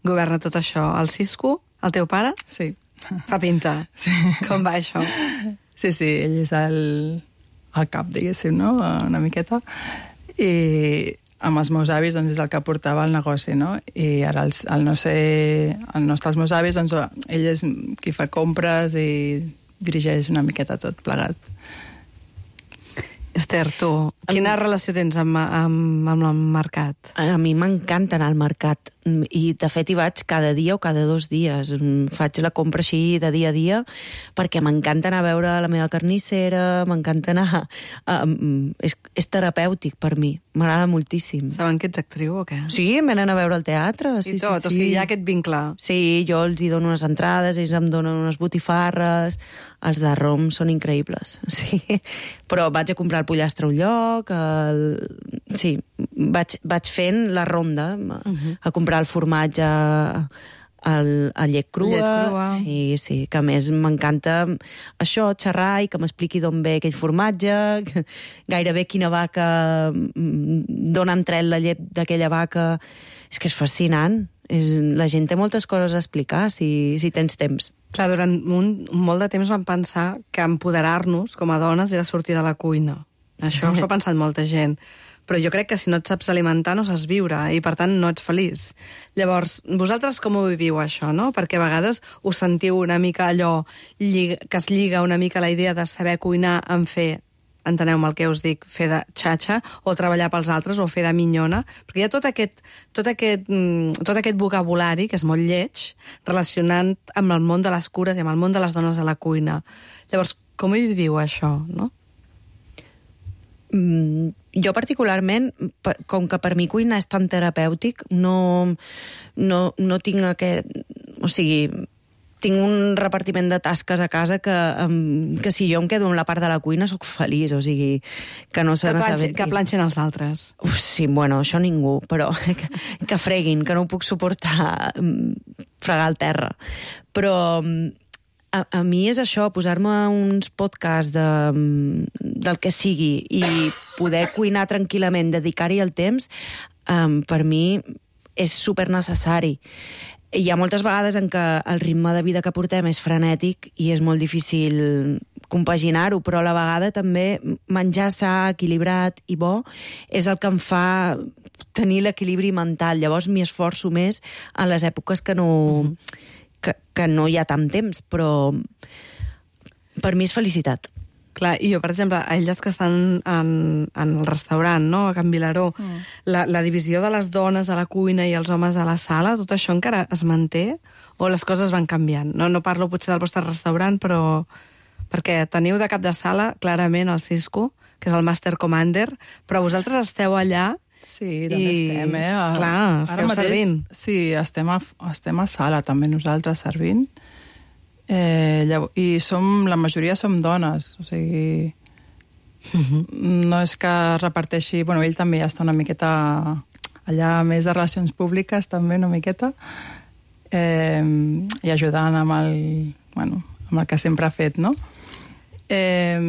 governa tot això? El Cisco? El teu pare? Sí. Fa pinta. Sí. Com va això? Sí, sí, ell és el, el cap, diguéssim, no?, una miqueta. I amb els meus avis, doncs, és el que portava el negoci, no? I ara, el, el no ser... El no estar els meus avis, doncs, ell és qui fa compres i dirigeix una miqueta tot plegat. Esther, tu, quina relació tens amb, amb, amb el mercat? A mi m'encanta anar al mercat i, de fet, hi vaig cada dia o cada dos dies. Faig la compra així de dia a dia perquè m'encanta anar a veure la meva carnissera, m'encanta anar... Um, és, és terapèutic per mi, m'agrada moltíssim. Saben que ets actriu o què? Sí, em venen a veure al teatre. Sí, I tot, sí, sí. o sigui, hi ha aquest vincle. Sí, jo els hi dono unes entrades, ells em donen unes botifarres, els de rom són increïbles, sí. Però vaig a comprar el pollastre a un lloc, el... sí, vaig, vaig fent la ronda, uh-huh. a comprar el formatge, el, el llet crua, llet crua. Sí, sí, que a més m'encanta això, xerrar i que m'expliqui d'on ve aquell formatge, gairebé quina vaca, d'on han tret la llet d'aquella vaca. És que és fascinant. És, la gent té moltes coses a explicar si, si tens temps. Clar, durant un, molt de temps vam pensar que empoderar-nos com a dones era sortir de la cuina. Això s'ho ha pensat molta gent. Però jo crec que si no et saps alimentar no saps viure i, per tant, no ets feliç. Llavors, vosaltres com ho viviu, això, no? Perquè a vegades us sentiu una mica allò lliga, que es lliga una mica la idea de saber cuinar en fer, enteneu-me el que us dic, fer de xatxa o treballar pels altres o fer de minyona, perquè hi ha tot aquest, tot aquest, tot aquest vocabulari, que és molt lleig, relacionant amb el món de les cures i amb el món de les dones a la cuina. Llavors, com hi viviu això, no? Mm, jo particularment, per, com que per mi cuinar és tan terapèutic, no, no, no tinc aquest... O sigui, tinc un repartiment de tasques a casa que, um, que si jo em quedo en la part de la cuina sóc feliç, o sigui, que no se n'assabenti. Que planxen els altres. Uf, sí, bueno, això ningú, però que, que freguin, que no ho puc suportar um, fregar al terra. Però... Um, A, a mi és això, posar-me uns podcasts de, del que sigui i poder cuinar tranquil·lament, dedicar-hi el temps, um, per mi és supernecessari. Hi ha moltes vegades en què el ritme de vida que portem és frenètic i és molt difícil compaginar-ho, però a la vegada també menjar sa, equilibrat i bo és el que em fa tenir l'equilibri mental. Llavors m'hi esforço més en les èpoques que no... Mm-hmm. Que, que no hi ha tant temps, però per mi és felicitat. Clar, i jo, per exemple, a elles que estan en, en el restaurant, no?, a Can Vilaró, mm. la, la divisió de les dones a la cuina i els homes a la sala, tot això encara es manté o les coses van canviant? No, no parlo potser del vostre restaurant, però perquè teniu de cap de sala, clarament, el Cisco, que és el Master Commander, però vosaltres esteu allà. Sí, també I, estem, eh? A, clar, esteu mateix, servint. Sí, estem a, estem a sala també nosaltres servint. Eh, llavors, I som, la majoria som dones, o sigui... Uh-huh. No és que reparteixi... Bueno, ell també ja està una miqueta allà, més de relacions públiques, també una miqueta, eh, i ajudant amb el, bueno, amb el que sempre ha fet, no? Eh,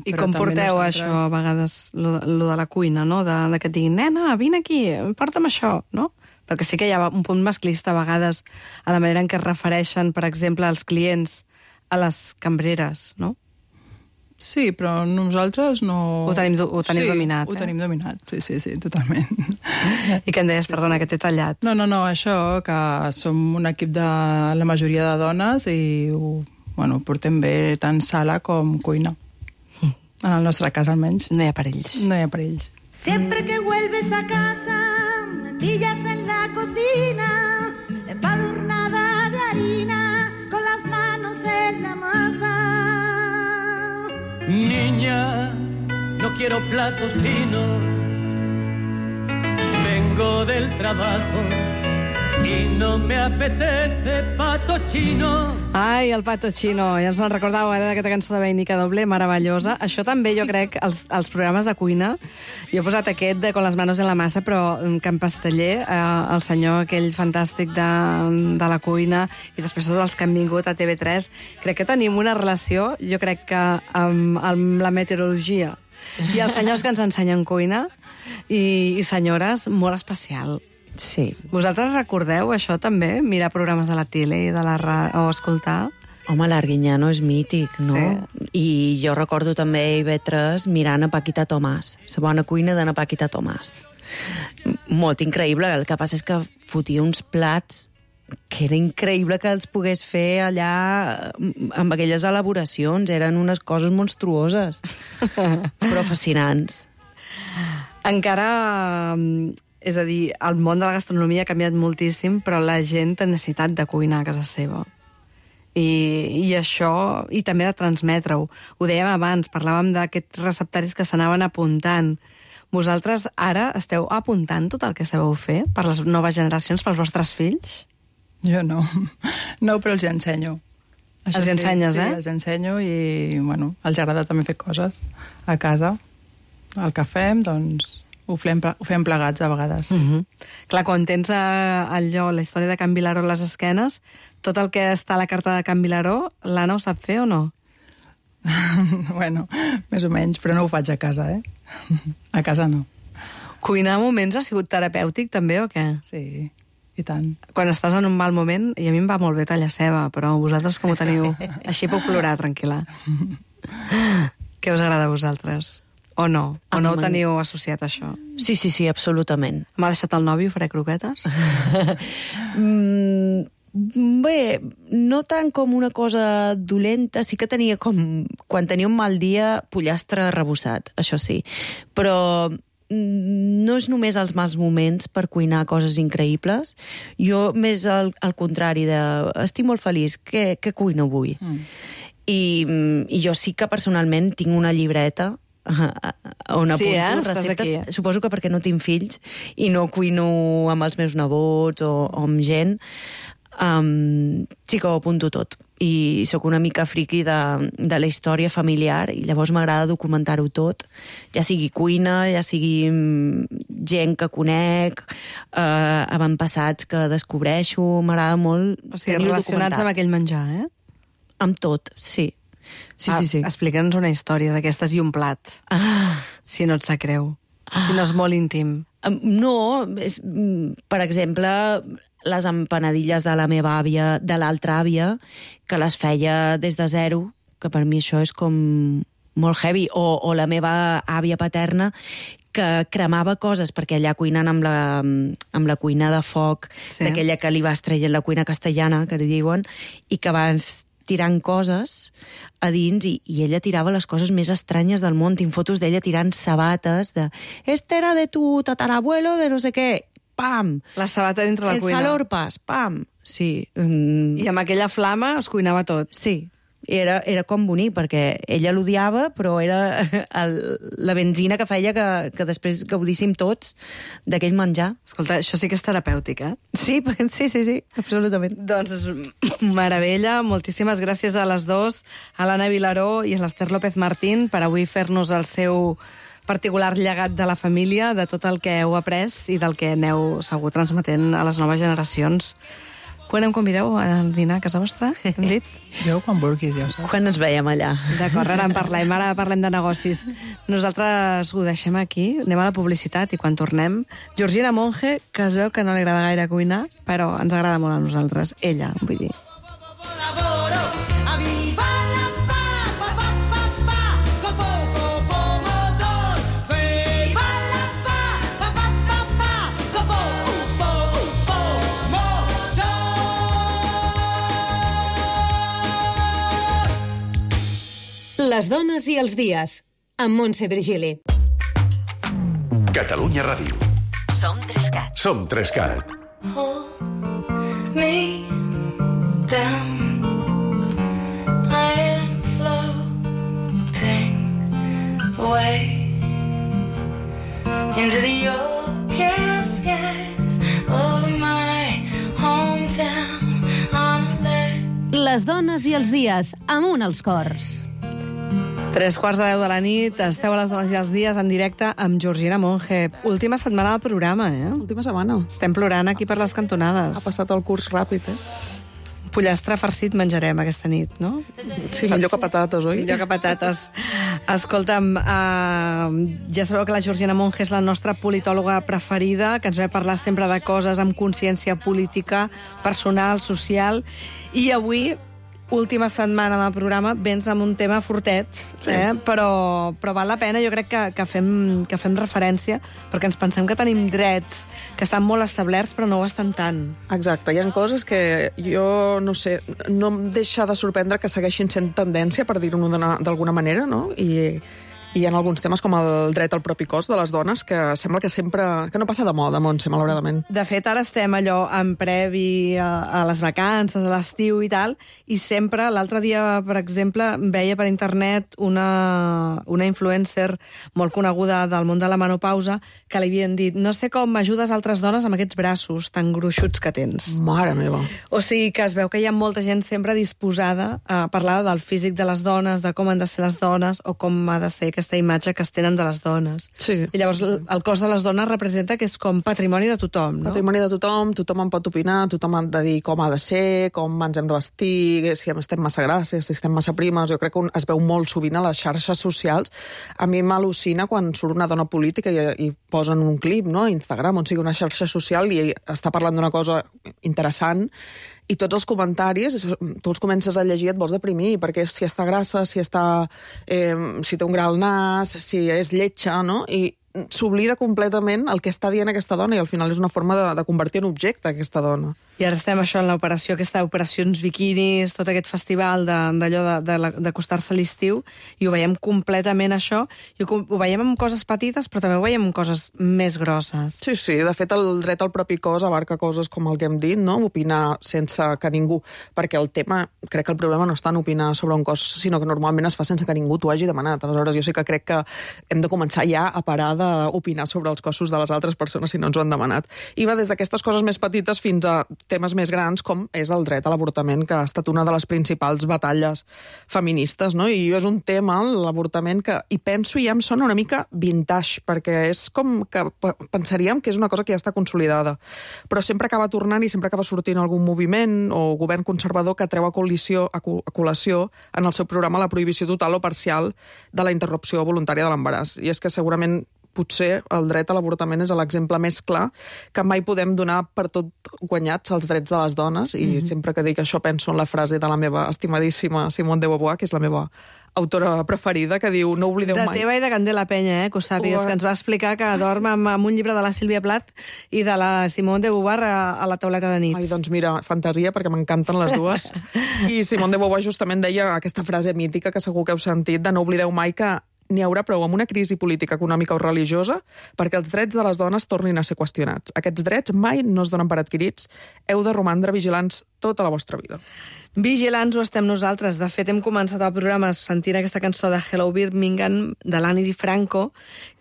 I com porteu nosaltres... això, a vegades, lo, lo de la cuina, no? De, de que et diguin, nena, vine aquí, porta'm això, no? Perquè sí que hi ha un punt masclista a vegades a la manera en què es refereixen, per exemple, els clients a les cambreres, no? Sí, però nosaltres no... Ho tenim, ho tenim sí, dominat, ho eh? tenim dominat, sí, sí, sí, totalment. I que em deies, perdona, que t'he tallat. No, no, no, això, que som un equip de la majoria de dones i ho... Bueno, portem bé tant sala com cuina. En el nostre cas, almenys. No hi ha perills. No hi ha perills. Siempre que vuelves a casa, me pillas en la cocina, empadurnada de harina, con las manos en la masa. Niña, no quiero platos finos, vengo del trabajo i no me apetece pato chino. Ai, el pato chino, ja ens en recordàveu eh, d'aquesta cançó de Vainica Doble, meravellosa. Això també, jo crec, els, els programes de cuina, jo he posat aquest de Con les manos en la massa, però Can Pasteller, eh, el senyor aquell fantàstic de, de la cuina, i després tots els que han vingut a T V tres, crec que tenim una relació, jo crec que amb, amb la meteorologia i els senyors que ens ensenyen cuina i, i senyores, molt especial. Sí. Vosaltres recordeu això també? Mirar programes de la tele i de la ra... o escoltar? Home, l'Arguiñano és mític, no? Sí. I jo recordo també I V tres mirant a Paquita Tomàs, la bona cuina d'Anna Paquita Tomàs. Molt increïble, el que passa és que fotia uns plats que era increïble que els pogués fer allà amb aquelles elaboracions, eren unes coses monstruoses, però fascinants. Encara... És a dir, el món de la gastronomia ha canviat moltíssim, però la gent té necessitat de cuinar a casa seva. I, i això, i també de transmetre-ho. Ho dèiem abans, parlàvem d'aquests receptaris que s'anaven apuntant. Vosaltres ara esteu apuntant tot el que sabeu fer per les noves generacions, pels vostres fills? Jo no. No, però els ensenyo. Els sí, ensenyes, sí, eh? els ensenyo i, bueno, els agrada també fer coses a casa. El que fem, doncs... Ho fem, ho fem plegats, a vegades. Uh -huh. Clar, quan tens eh, allò, la història de Can Vilaró a les esquenes, tot el que està a la carta de Can Vilaró, l'Anna ho sap fer o no? Bueno, més o menys, però no ho faig a casa, eh? A casa no. Cuinar a moments ha sigut terapèutic, també, o què? Sí, i tant. Quan estàs en un mal moment, i a mi em va molt bé tallar ceba, però vosaltres com ho teniu? Així puc plorar, tranquil·la. Què us agrada a vosaltres? O no? O no ho teniu associat, això? Sí, sí, sí, absolutament. M'ha deixat el nòvio, faré croquetes? mm, bé, no tant com una cosa dolenta, sí que tenia com... Quan tenia un mal dia, pollastre arrebossat, això sí. Però no és només els mals moments per cuinar coses increïbles. Jo, més al, al contrari, de estic molt feliç, què, què cuino avui? Mm. I, I jo sí que personalment tinc una llibreta on apunto sí, eh? receptes. Suposo que perquè no tinc fills i no cuino amb els meus nebots o, o amb gent, um, sí que ho apunto tot. I sóc una mica friqui de, de la història familiar i llavors m'agrada documentar-ho tot, ja sigui cuina, ja sigui gent que conec, uh, avantpassats que descobreixo, m'agrada molt. O sigui, relacionats amb aquell menjar, eh? Amb tot, sí. Sí, ah, sí, sí. Explica'ns una història d'aquestes i un plat, Ah. si no et sap greu, ah. si no és molt íntim. No, és, per exemple, les empanadilles de la meva àvia, de l'altra àvia, que les feia des de zero, que per mi això és com molt heavy, o, o la meva àvia paterna, que cremava coses, perquè allà cuinant amb la, amb la cuina de foc, sí. d'aquella que li va estrellar la cuina castellana, que li diuen, i que abans tirant coses a dins i, i ella tirava les coses més estranyes del món. Tinc fotos d'ella tirant sabates de este era de tu tatarabuelo de no sé què, pam! La sabata dintre la el cuina. El zalorpas, pam! Sí. Mm. I amb aquella flama es cuinava tot. Sí. Era, era com bonic, perquè ella l'odiava, però era el, la benzina que feia que, que després gaudíssim tots d'aquell menjar. Escolta, això sí que és terapèutic, eh? Sí, sí, sí, sí, absolutament. Doncs és meravella. Moltíssimes gràcies a les dues, a l'Anna Vilaró i a l'Ester López Martín, per avui fer-nos el seu particular llegat de la família, de tot el que heu après i del que aneu segur transmetent a les noves generacions. Quan em convideu a dinar a casa vostra, hem dit? Jo quan vulguis, ja ho saps. Quan ens veiem allà. D'acord, ara en parlem, ara parlem de negocis. Nosaltres ho deixem aquí, anem a la publicitat i quan tornem, Georgina Monge, que es veu que no li agrada gaire cuinar, però ens agrada molt a nosaltres, ella, vull dir. Les dones i els dies, amb Montse Virgili. Catalunya Ràdio. Som Trescat. Som Trescat. Hold me down. I am floating away into the orchid skies of my hometown on a lake. Les dones i els dies, amunt als cors. Tres quarts de deu de la nit, esteu a les dones i els dies en directe amb Georgina Monge. Última setmana del programa, eh? Última setmana. Estem plorant aquí per les cantonades. Ha passat el curs ràpid, eh? Pollastre farcit menjarem aquesta nit, no? Sí, millor que patates, oi? Millor que patates. Escolta'm, uh, ja sabeu que la Georgina Monge és la nostra politòloga preferida, que ens ve a parlar sempre de coses amb consciència política, personal, social, i avui, última setmana del programa, vens amb un tema fortet, sí. eh? però, però val la pena, jo crec que, que, fem, que fem referència, perquè ens pensem que tenim drets que estan molt establerts, però no ho estan tant. Exacte, hi ha coses que jo, no sé, no em deixa de sorprendre que segueixin sent tendència, per dir-ho d'alguna manera, no? I... i hi ha alguns temes com el dret al propi cos de les dones que sembla que sempre... que no passa de moda, Montse, malauradament. De fet, ara estem allò en previ a, a les vacances, a l'estiu i tal, i sempre, l'altre dia, per exemple, veia per internet una, una influencer molt coneguda del món de la menopausa que li havien dit, no sé com ajudes altres dones amb aquests braços tan gruixuts que tens. Mare meva. O sigui que es veu que hi ha molta gent sempre disposada a parlar del físic de les dones, de com han de ser les dones, o com ha de ser aquesta imatge que es tenen de les dones. Sí. I llavors el cos de les dones representa que és com patrimoni de tothom, no? Patrimoni de tothom, tothom en pot opinar, tothom ha de dir com ha de ser, com ens hem de vestir, si estem massa grasses, si estem massa primes. Jo crec que es veu molt sovint a les xarxes socials. A mi m'al·lucina quan surt una dona política i, i posen un clip, no?, a Instagram, on sigui una xarxa social i està parlant d'una cosa interessant, i tots els comentaris, tu els comences a llegir i et vols deprimir, perquè si està grassa, si està, eh, si té un gra al nas, si és lletja, no? I s'oblida completament el que està dient aquesta dona i al final és una forma de, de convertir en objecte aquesta dona. I ara estem això en l'operació, aquesta operacions biquinis, tot aquest festival d'allò d'acostar-se a l'estiu, i ho veiem completament això, i ho, ho veiem amb coses petites, però també ho veiem amb coses més grosses. Sí, sí, de fet el dret al propi cos abarca coses com el que hem dit, no? Opinar sense que ningú, perquè el tema, crec que el problema no està en opinar sobre un cos, sinó que normalment es fa sense que ningú t'ho hagi demanat. Aleshores jo sí que crec que hem de començar ja a parar d'opinar sobre els cossos de les altres persones si no ens ho han demanat. I va des d'aquestes coses més petites fins a temes més grans, com és el dret a l'avortament, que ha estat una de les principals batalles feministes, no? I és un tema, l'avortament, que hi penso i ja em sona una mica vintage, perquè és com que pensaríem que és una cosa que ja està consolidada. Però sempre acaba tornant i sempre acaba sortint algun moviment o govern conservador que treu a col·lisió, a col·lació en el seu programa la prohibició total o parcial de la interrupció voluntària de l'embaràs. I és que segurament potser el dret a l'avortament és l'exemple més clar que mai podem donar per tot guanyats els drets de les dones, i mm-hmm. sempre que dic això penso en la frase de la meva estimadíssima Simone de Beauvoir, que és la meva autora preferida, que diu no oblideu mai... De teva i de Candela Penya, eh, que ho sàpigues, que ens va explicar que dorm amb, amb un llibre de la Sílvia Plath i de la Simone de Beauvoir a, a la tauleta de nit. Ai, doncs mira, fantasia, perquè m'encanten les dues. I Simone de Beauvoir justament deia aquesta frase mítica que segur que heu sentit, de no oblideu mai que n'hi haurà prou amb una crisi política, econòmica o religiosa perquè els drets de les dones tornin a ser qüestionats. Aquests drets mai no es donen per adquirits. Heu de romandre vigilants tota la vostra vida. Vigilants ho estem nosaltres. De fet, hem començat el programa sentint aquesta cançó de Hello Birmingham, de l'Annie DiFranco,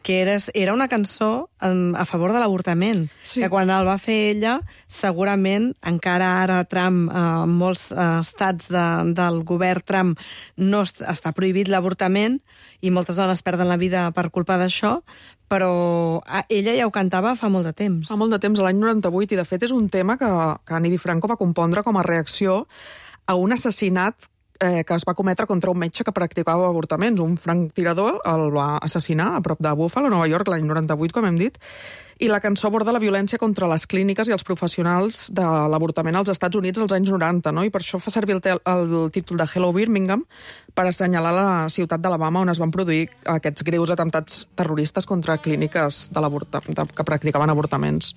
que era, era una cançó a favor de l'avortament. Sí. Que quan el va fer ella, segurament, encara ara Trump, en eh, molts eh, estats de, del govern Trump, no està prohibit l'avortament, i moltes dones perden la vida per culpa d'això, però ella ja ho cantava fa molt de temps. Fa molt de temps, a l'any noranta-vuit, i de fet és un tema que, que Annie DiFranco va compondre com a reacció a un assassinat eh, que es va cometre contra un metge que practicava avortaments. Un franctirador el va assassinar a prop de Buffalo, Nova York, l'any noranta-vuit, com hem dit, i la cançó aborda la violència contra les clíniques i els professionals de l'avortament als Estats Units als anys noranta, no? I per això fa servir el, el títol de Hello Birmingham per assenyalar la ciutat d'Alabama on es van produir aquests greus atemptats terroristes contra clíniques de de, que practicaven avortaments.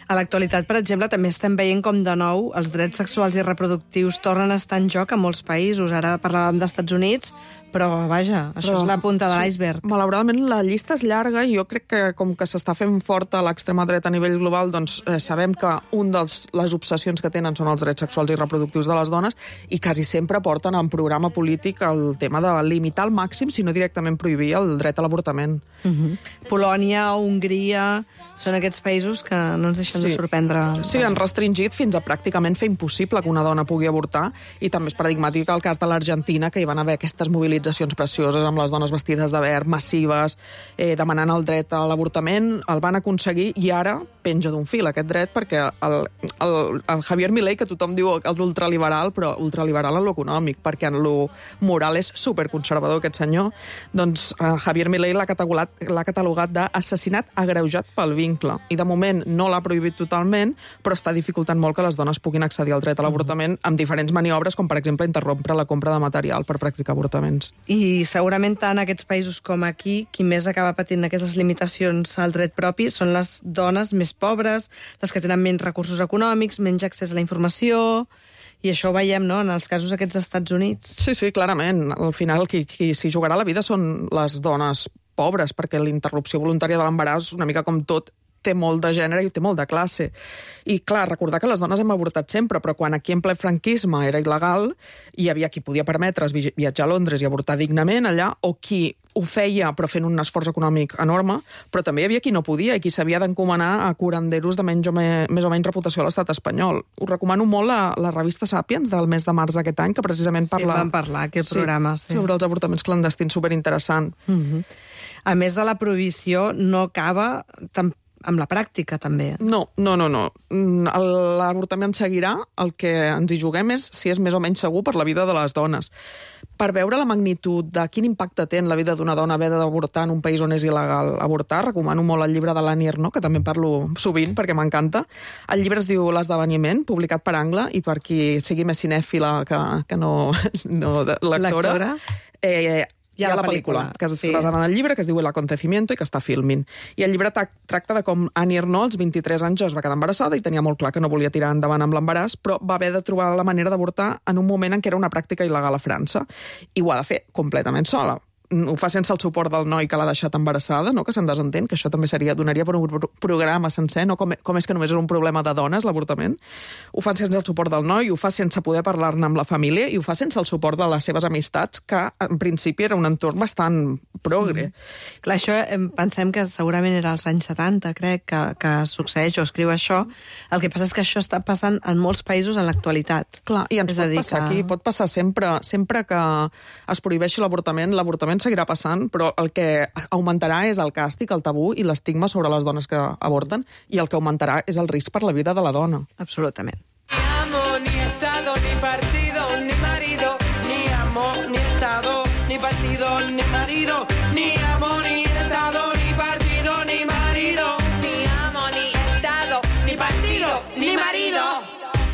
A l'actualitat, per exemple, també estem veient com de nou els drets sexuals i reproductius tornen a estar en joc a molts països. Ara parlàvem d'Estats Units, però vaja, això Però, és la punta de sí, l'iceberg. Malauradament la llista és llarga i jo crec que com que s'està fent forta l'extrema dreta a nivell global, doncs eh, sabem que un dels les obsessions que tenen són els drets sexuals i reproductius de les dones i quasi sempre porten en programa polític el tema de limitar al màxim, si no directament prohibir el dret a l'avortament. Uh-huh. Polònia, Hongria, són aquests països que no ens deixen sí. de sorprendre. Sí, han restringit fins a pràcticament fer impossible que una dona pugui avortar i també és paradigmàtic el cas de l'Argentina, que hi van haver aquestes mobilitzacions precioses amb les dones vestides de verd, massives, eh, demanant el dret a l'avortament, el van aconseguir i ara penja d'un fil aquest dret perquè el, el, el Javier Milei, que tothom diu l'ultraliberal, però ultraliberal en lo econòmic, perquè en lo moral és superconservador aquest senyor, doncs eh, Javier Milei l'ha catalogat, l'ha catalogat d'assassinat agreujat pel vincle. I de moment no l'ha prohibit totalment, però està dificultant molt que les dones puguin accedir al dret a l'avortament amb diferents maniobres, com per exemple interrompre la compra de material per practicar avortaments. I segurament tant aquests països com aquí, qui més acaba patint aquestes limitacions al dret propi són les dones més pobres, les que tenen menys recursos econòmics, menys accés a la informació, i això ho veiem, no?, en els casos aquests dels Estats Units. Sí, sí, clarament. Al final, qui, qui s'hi jugarà la vida són les dones pobres, perquè la interrupció voluntària de l'embaràs, una mica com tot, té molt de gènere i té molt de classe. I, clar, recordar que les dones hem avortat sempre, però quan aquí en ple franquisme era il·legal, hi havia qui podia permetre's viatjar a Londres i avortar dignament allà, o qui ho feia però fent un esforç econòmic enorme, però també hi havia qui no podia i qui s'havia d'encomanar a curanderos de menys o, me, més o menys reputació a l'estat espanyol. Us recomano molt la, la revista Sàpiens del mes de març d'aquest any, que precisament parla... Sí, vam parlar, aquest sí, programa. Sí. Sobre els avortaments clandestins, superinteressant. Mm-hmm. A més de la prohibició, no acaba tampoc amb la pràctica, també. No, no, no, no. L'avortament seguirà. El que ens hi juguem és si és més o menys segur per la vida de les dones. Per veure la magnitud de quin impacte té en la vida d'una dona haver d'avortar en un país on és il·legal avortar, recomano molt el llibre de l'Annie Ernaux, que també parlo sovint perquè m'encanta. El llibre es diu L'esdeveniment, publicat per Angle, i per qui sigui més cinèfila que, que no, no lectora. Lectora? Eh, Hi ha, hi ha la la pel·lícula, pel·lícula que és sí. basada en el llibre, que es diu El acontecimiento i que està filming. I el llibre tracta de com Annie Ernaux, als vint-i-tres anys, es va quedar embarassada i tenia molt clar que no volia tirar endavant amb l'embaràs, però va haver de trobar la manera d'avortar en un moment en què era una pràctica il·legal a França. I ho ha de fer completament sola. Ho fa sense el suport del noi que l'ha deixat embarassada, no? Que se'n desentén, que això també seria donaria per un programa sencer, no? Com, com és que només és un problema de dones, l'avortament. Ho fa sense el suport del noi, ho fa sense poder parlar-ne amb la família i ho fa sense el suport de les seves amistats, que en principi era un entorn bastant progre. Mm. Clar, això pensem que segurament era als anys setanta, crec, que, que succeeix o escriu això. El que passa és que això està passant en molts països en l'actualitat. Clar, i ens és pot dir, passar que... aquí, pot passar sempre, sempre que es prohibeixi l'avortament, l'avortament seguirà passant, però el que augmentarà és el càstig, el tabú i l'estigma sobre les dones que avorten, i el que augmentarà és el risc per la vida de la dona. Absolutament. Ni amo, ni estado, ni partido, ni marido. Ni amo, ni estado, ni partido, ni marido. Ni amo, ni estado, ni partido, ni marido. Ni amo, ni estado, ni partido, ni marido.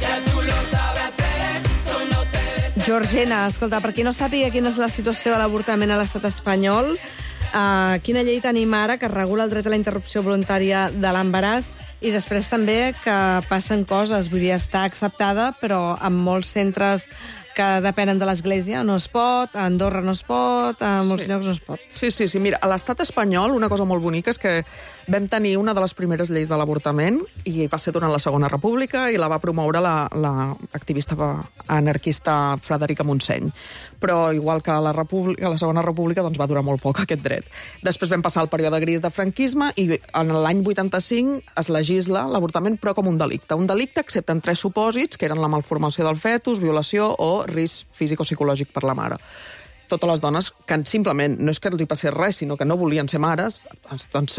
Ya tú lo sabes hacer, solo te deseo. Georgina, escolta, per qui no sàpiga quina és la situació de l'avortament a l'estat espanyol, uh, quina llei tenim ara que regula el dret a la interrupció voluntària de l'embaràs i després també que passen coses, vull dir, està acceptada, però en molts centres que depenen de l'Església no es pot, a Andorra no es pot, a molts sí. llocs no es pot. Sí, sí, sí. Mira, a l'estat espanyol una cosa molt bonica és que vam tenir una de les primeres lleis de l'avortament i va ser durant la Segona República i la va promoure l'activista la, la anarquista Frederica Montseny. Però igual que a la, República, a la Segona República doncs va durar molt poc aquest dret. Després vam passar el període gris de franquisme i en l'any vuitanta-cinc es legisla l'avortament però com un delicte. Un delicte excepte en tres supòsits, que eren la malformació del fetus, violació o risc físic o psicològic per la mare. Totes les dones que simplement no és que els hi passés res, sinó que no volien ser mares, doncs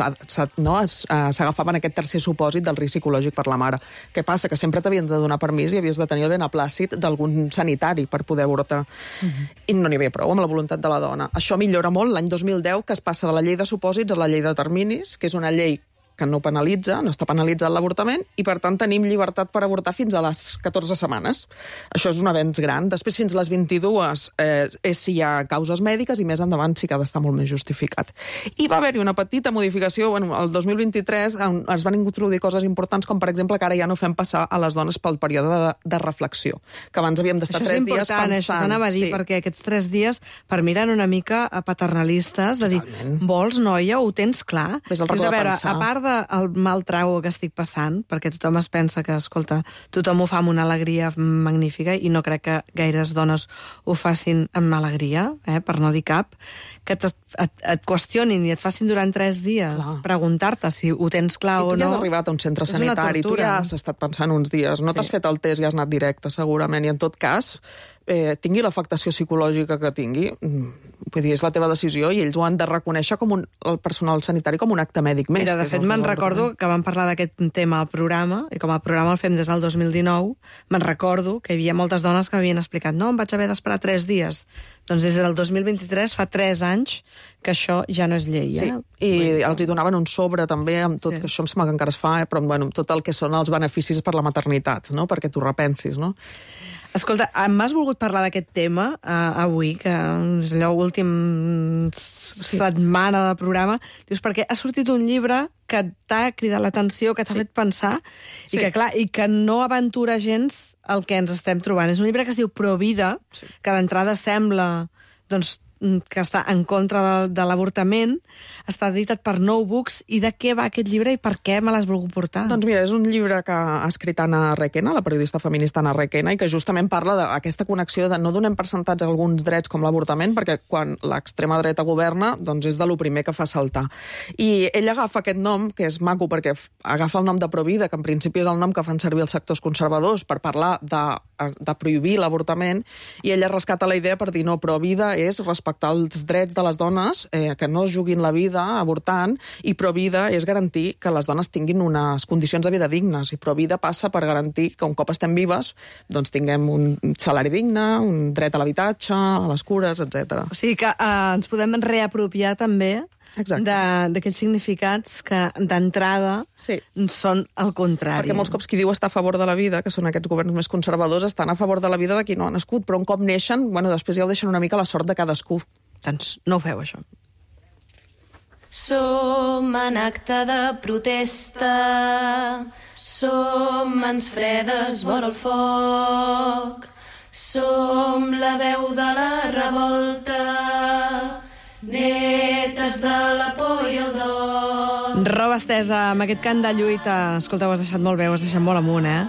no, s'agafaven aquest tercer supòsit del risc psicològic per la mare. Què passa? Que sempre t'havien de donar permís i havies de tenir el beneplàcit d'algun sanitari per poder avortar. Uh-huh. I no n'hi havia prou amb la voluntat de la dona. Això millora molt l'any dos mil deu, que es passa de la llei de supòsits a la llei de terminis, que és una llei que no penalitza, no està penalitzat l'avortament, i per tant tenim llibertat per avortar fins a les catorze setmanes. Això és un avenç gran. Després, fins a les vint-i-dues, eh, és si hi ha causes mèdiques, i més endavant sí que ha d'estar molt més justificat. I va haver-hi una petita modificació, bueno, el dos mil vint-i-tres es van introduir coses importants, com per exemple que ara ja no fem passar a les dones pel període de, de reflexió, que abans havíem d'estar tres dies pensant. Això t'anava a dir, sí. Perquè aquests tres dies, per mi eren una mica paternalistes, de dir, Totalment. Vols, noia, ho tens clar? És el racó a de veure, pensar. A part del mal trago que estic passant, perquè tothom es pensa que, escolta, tothom ho fa amb una alegria magnífica, i no crec que gaires dones ho facin amb alegria, eh, per no dir cap, que et, et, et qüestionin i et facin durant tres dies clar. Preguntar-te si ho tens clar o no. I tu ja has arribat a un centre sanitari, tu ja has estat pensant uns dies, no sí. T'has fet el test i has anat directe, segurament, i en tot cas, eh, tingui l'afectació psicològica que tingui, vull dir, és la teva decisió, i ells ho han de reconèixer com un, el personal sanitari com un acte mèdic més. Mira, de fet, me'n recordo que vam parlar d'aquest tema al programa, i com el programa el fem des del dos mil dinou, me'n recordo que hi havia moltes dones que m'havien explicat no, em vaig haver d'esperar tres dies. Doncs des del dos mil vint-i-tres, fa tres anys, que això ja no és llei. Eh? Sí, i els hi donaven un sobre també, amb tot, sí. Que això em sembla que encara es fa, eh? Però bueno, tot el que són els beneficis per la maternitat, no? Perquè t'ho repensis, no? Escolta, m'has volgut parlar d'aquest tema uh, avui, que és allò últim sí. setmana de programa. Dius, perquè ha sortit un llibre que t'ha cridat l'atenció, que t'ha sí. fet pensar, sí. i que, clar, i que no aventura gens el que ens estem trobant. És un llibre que es diu Provida, sí. que d'entrada sembla, doncs, que està en contra de, de l'avortament, està editat per Nou Books, i de què va aquest llibre i per què me l'has volgut portar? Doncs mira, és un llibre que ha escrit Anna Requena, la periodista feminista Anna Requena, i que justament parla d'aquesta connexió de no donem percentatge a alguns drets com l'avortament, perquè quan l'extrema dreta governa, doncs és de lo primer que fa saltar. I ella agafa aquest nom, que és maco, perquè agafa el nom de Provida, que en principi és el nom que fan servir els sectors conservadors per parlar de, de prohibir l'avortament, i ella rescata la idea per dir no, Provida és respectar els drets de les dones, eh, que no es juguin la vida avortant, i Provida és garantir que les dones tinguin unes condicions de vida dignes, i Provida passa per garantir que un cop estem vives doncs tinguem un salari digne, un dret a l'habitatge, a les cures, etcètera. O sigui que eh, ens podem reapropiar també d'aquells significats que d'entrada sí. són el contrari. Perquè molts cops qui diu estar a favor de la vida, que són aquests governs més conservadors, estan a favor de la vida de qui no ha nascut, però un cop neixen, bueno, després ja ho deixen una mica a la sort de cadascú. Doncs no ho feu, això. Som en acte de protesta, som mans fredes vora el foc, som la veu de la revolta, netes de la por i el dol. Roba estesa, amb aquest cant de lluita. Escolta, ho has deixat molt bé, ho has deixat molt amunt, eh?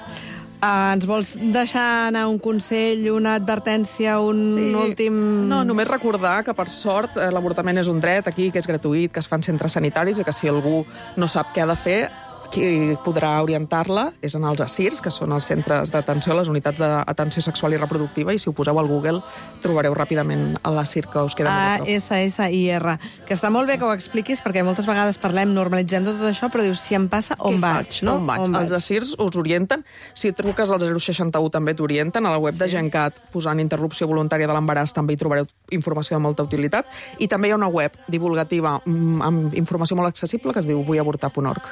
Uh, ens vols deixar anar un consell, una advertència, un sí. últim... No, només recordar que, per sort, l'avortament és un dret aquí, que és gratuït, que es fa en centres sanitaris, i que si algú no sap què ha de fer, qui podrà orientar-la és en els A S I R S, que són els centres d'atenció, les unitats d'atenció sexual i reproductiva, i si ho poseu al Google trobareu ràpidament l'A S I R que us queda més a prop. A S S I R. Que està molt bé que ho expliquis, perquè moltes vegades parlem, normalitzem tot això, però dius, si em passa, on Què vaig? faig? No? On vaig? On els A S I R S us orienten. Si truques al zero seixanta u també t'orienten. A la web sí. de Gencat, posant interrupció voluntària de l'embaràs, també hi trobareu informació de molta utilitat. I també hi ha una web divulgativa amb informació molt accessible que es diu vull avortar punt org.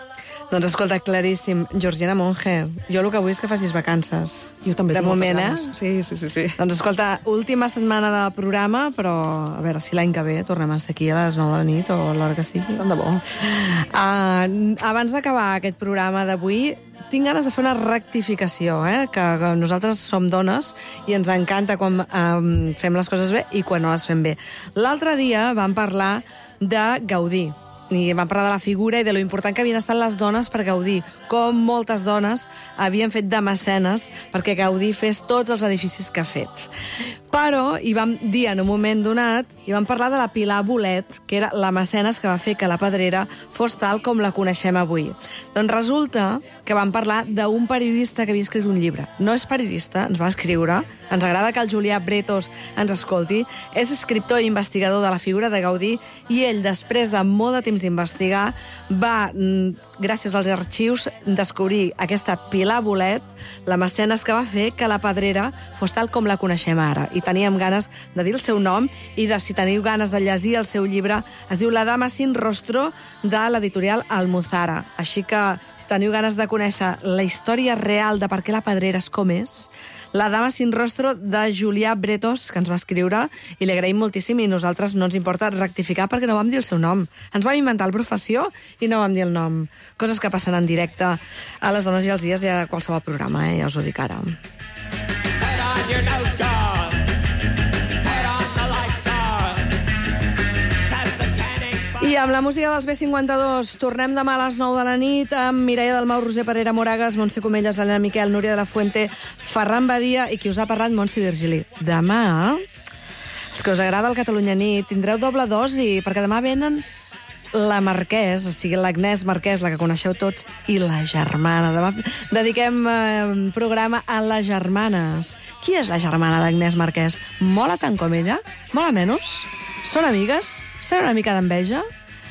Doncs escolta, claríssim. Georgina Monge, jo el que vull és que facis vacances. Jo també de tinc moment, moltes ganes. Eh? Sí, sí, sí, sí. Doncs escolta, última setmana del programa, però a veure si l'any que ve tornem a estar aquí a les nou de la nit o a l'hora que sigui. Tant de bo. Uh, abans d'acabar aquest programa d'avui, tinc ganes de fer una rectificació, eh? que, que nosaltres som dones i ens encanta quan um, fem les coses bé i quan no les fem bé. L'altre dia vam parlar de Gaudí, i vam parlar de la figura i de lo important que havien estat les dones per Gaudí, com moltes dones havien fet de mecenes perquè Gaudí fes tots els edificis que ha fet. Però hi vam dir en un moment donat, i vam parlar de la Pilar Bolet, que era la mecenes que va fer que la Pedrera fos tal com la coneixem avui. Doncs resulta que vam parlar d'un periodista que havia escrit un llibre. No és periodista, ens va escriure, ens agrada que el Julià Bretos ens escolti, és escriptor i investigador de la figura de Gaudí, i ell, després de molt de temps temps d'investigar, va, gràcies als arxius, descobrir aquesta Pilar Bolet, la mecenes que va fer que la Pedrera fos tal com la coneixem ara. I teníem ganes de dir el seu nom i de, si teniu ganes de llegir el seu llibre, es diu La dama sin rostro, de l'editorial Almuzara. Així que, si teniu ganes de conèixer la història real de per què la Pedrera és com és, La dama sin rostro, de Julià Bretos, que ens va escriure, i li agraïm moltíssim, i nosaltres no ens importa rectificar perquè no vam dir el seu nom. Ens vam inventar la professió i no vam dir el nom. Coses que passen en directe a Les dones i els dies i a qualsevol programa, eh? Ja us ho dic ara. I amb la música dels B cinquanta-dos tornem demà a les nou de la nit amb Mireia Dalmau, Roser Parera, Moragas, Montse Comelles, Helena Miquel, Núria de la Fuente, Ferran Badia i qui us ha parlat, Montse Virgili. Demà, els que us agrada el Catalunya Nit, tindreu doble dosi, perquè demà venen la Marquès, o sigui, l'Agnès Marquès, la que coneixeu tots, i la germana. Demà dediquem eh, programa a les germanes. Qui és la germana d'Agnès Marquès? Mola tant com ella? Mola menys? Són amigues? Estan una mica d'enveja?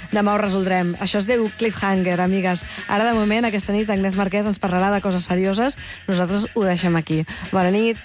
Demà ho resoldrem. Això es diu Cliffhanger, amigues. Ara, de moment, aquesta nit, Agnès Marquès ens parlarà de coses serioses. Nosaltres ho deixem aquí. Bona nit.